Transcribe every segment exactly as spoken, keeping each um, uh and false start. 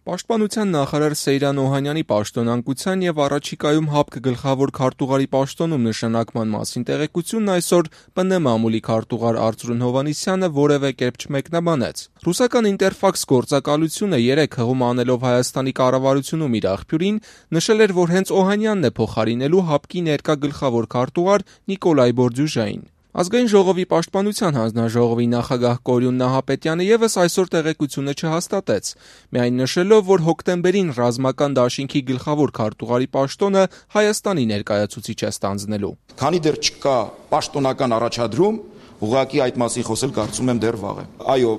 Պաշտպանության նախարար Սեյրան Օհանյանի պաշտոնանկության եւ առաջիկայում ՀԱՊԿ գլխավոր քարտուղարի պաշտոնում նշանակման մասին տեղեկությունն այսօր ՊՆ մամուլի քարտուղար Արծրուն Հովհաննիսյանը որևէ կերպ չմեկնաբանեց։ Ռուսական Ինտերֆաքս գործակալությունը երեկ հղում անելով Հայաստանի կառավարությունում իր աղբյուրին նշել էր, որ հենց Օհանյանն է փոխարինելու ՀԱՊԿ-ի ներկա գլխավոր քարտուղար Նիկոլայ Բորդյուժային։ Ազգային ժողովի պաշտպանության հանձնաժողովի նախագահ Կորյուն Նահապետյանը ևս այսօր տեղեկությունը չհաստատեց, միայն նշելով, որ հոկտեմբերին ռազմական դաշինքի գլխավոր քարտուղարի պաշտոնը Հայաստանի ներկայացուցիչ է ստանձնելու։ Քանի դեռ չկա պաշտոնական առաջադրում, ուղղակի այդ մասին խոսել կարծում եմ դեռ վաղ է։ Այո,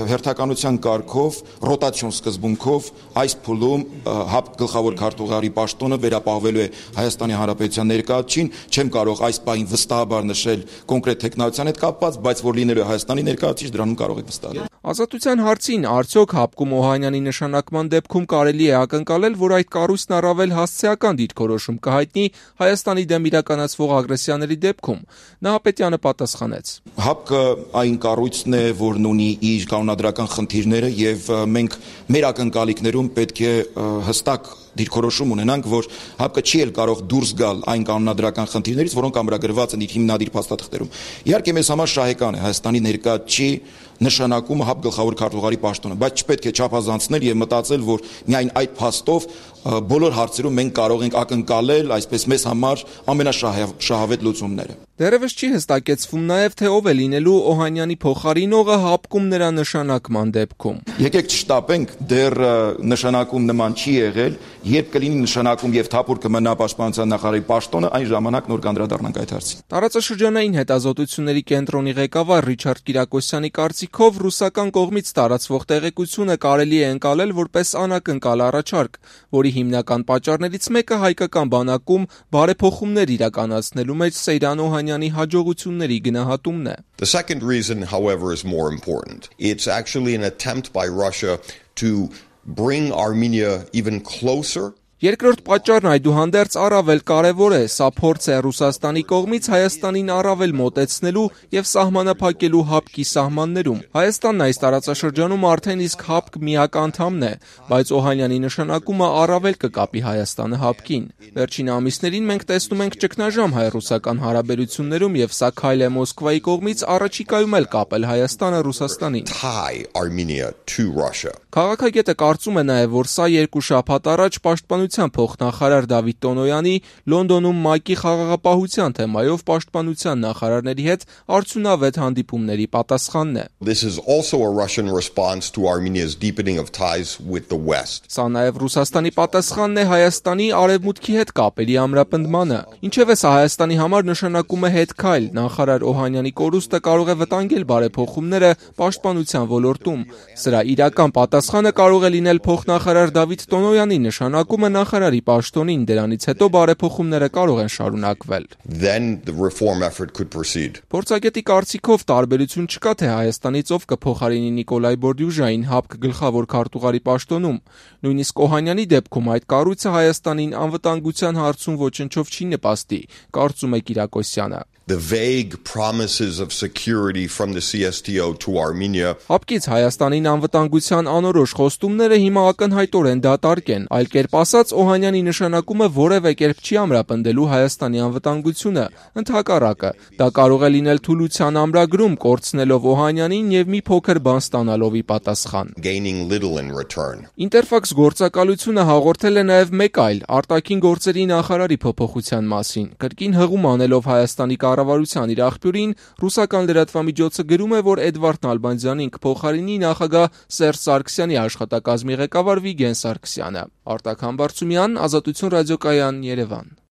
հերթականության կարգով, ռոտացիոն սկզբունքով այս փուլում ՀԱՊԿ գլխավոր քարտուղարի պաշտոնը վերապահվելու է Հայաստանի Հանրապետության ներկայացուցչին, չեմ կարող այս պահին վստահաբար նշել կոնկրետ տեխնոլոգիան հետ կապված, բայց որ լինելու է Հայաստանի ներկայացուցիչ, դրանում կարող եք վստահել։ Ազատության հարցին արդյոք ՀԱՊԿ-ում Օհանյանի նշանակման դեպքում կարելի է ակնկալել, որ այդ կառույցն առավել հասցեական դիրքորոշում կհայտնի Հայաստանի դեմ իրականացվող ագրեսիաների դեպքում։ Նահապետյանը պատասխանեց. ՀԱՊԿ-ը այն կառույցն է, որն ունի իր կանոնադրական խնդիրները եւ մենք մեր ակնկալիքներում պետք է հստակ դիրքորոշում ունենանք, որ ՀԱՊԿ-ը չի էլ կարող դուրս գալ այն կանոնադրական խնդիրներից, որոնք ամրագրված են իր հիմնադիր փաստաթղթերում։ Իհարկե մեզ համար շահեկան է Հայաստանի ներկայացուցչի նշանակումը ՀԱՊԿ գլխավոր քարտուղարի պաշտոնը, բայց չպետք է չափազանցնել եւ մտածել, որ միայն այդ փաստով բոլոր հարցերում մենք կարող ենք ակնկալել, այսպես մեզ համար ամենաշահավետ լուծումները։ Դեռևս չի հստակեցվում նաև, թե ով է լինելու Օհանյանի փոխարինողը ՀԱՊԿ-ում նրա նշանակման դեպքում։ Եկեք չշտապենք, դեռ նշանակում նման չի եղել, երբ կլինի նշանակում եւ թափուր կմնա պաշտպանության նախարարի պաշտոնը, այն ժամանակ նոր կանդրադառնանք այդ հարցին։ Տարածաշրջանային հետազոտությունների կենտրոնի ղեկավար Ռիչարդ Կիրակոսյանի կարծիքով ռուսական կողմից տարածվող տեղեկությունը կարելի է ընկալել որպես անակնկալ առաջարկ, որի հիմնական պատճառներից մեկը հայկական բանակում բարեփոխումներ իրականացնելու մեջ Սեյրան Օհանյանի հաջողությունների գնահատումն է։ The second reason, however, is more important. It's actually an attempt by Russia to bring Armenia even closer. Երկրորդ պատճառն այդուհանդերձ առավել կարևոր է, սա փորձ է Ռուսաստանի կողմից Հայաստանին առավել մոտեցնելու եւ սահմանափակելու ՀԱՊԿ-ի սահմաններում։ Հայաստանն այս տարածաշրջանում արդեն իսկ ՀԱՊԿ միակ անդամն է, բայց Օհանյանի նշանակումը առավել կկապի Հայաստանը ՀԱՊԿ-ին։ Վերջին ամիսներին մենք տեսնում ենք ճգնաժամ հայ-ռուսական հարաբերություններում եւ սա քայլ է Մոսկվայի կողմից առաջիկայում էլ կապել Հայաստանը Ռուսաստանին։ Քաղաքագետը կարծում է նաեւ, որ սա երկու շաբաթ առաջ պաշտպանության փոխնախարար Դավիթ Տոնոյանի Լոնդոնում ՄԱԿ-ի խաղաղապահության թեմայով պաշտպանության նախարարների հետ արդյունավետ հանդիպումների պատասխանն է։ This is also a Russian response to Armenia's deepening of ties with the West. Սա նաև Ռուսաստանի պատասխանն է Հայաստանի արևմուտքի հետ կապերի ամրապնդմանը։ Ինչևէ սա Հայաստանի համար նշանակում է հետ քայլ։ Նախարար Օհանյանի կորուստը կարող է վտանգել բարեփոխումները պաշտպանության ոլորտում։ Սրա իրական պատասխանը կարող է լինել փոխնախարար Դավիթ Տոնոյանի նշանակումը նախարարի պաշտոնին, դրանից հետո բարեփոխումները կարող են շարունակվել։ Then the reform effort could proceed. Փորձագետի կարծիքով տարբերություն չկա, թե Հայաստանից ով կփոխարինի Նիկոլայ Բորդյուժային ՀԱՊԿ գլխավոր քարտուղարի պաշտոնում։ Նույնիսկ Օհանյանի դեպքում այդ կառույցը Հայաստանին անվտանգության հարցում ոչնչով չի նպաստի, կարծում է Կիրակոսյանը։ The vague promises of security from the C S T O to Armenia. ՀԱՊԿ-ից Հայաստանին անվտանգության անորոշ խոստումները հիմա ակնհայտորեն դատարկ են, այլ կերպ ասած Օհանյանի նշանակումը որևէ կերպ չի ամրապնդելու Հայաստանի անվտանգությունը, ընդհակառակը, դա կարող է լինել թուլության ամրագրում, կորցնելով Օհանյանին եւ մի փոքր բան ստանալով ի պատասխան։ Gaining little in return. Ինտերֆաքս գործակալությունը հաղորդել է նաեւ մեկ այլ արտաքին գործերի նախարարի փոփոխության մասին, կրկին հղում անելով Հայաստանի կառավարության իր աղբյուրին, ռուսական լրատվամիջոցը գրում է, որ Էդվարդ Նալբանդյանին կփոխարինի նախագահ Սերժ Սարգսյանի աշխատակազմի ղեկավար Վիգեն Սարգսյանը։ Արտակ Համբարձումյան, Ազատություն ռադիոկայան, Երևան։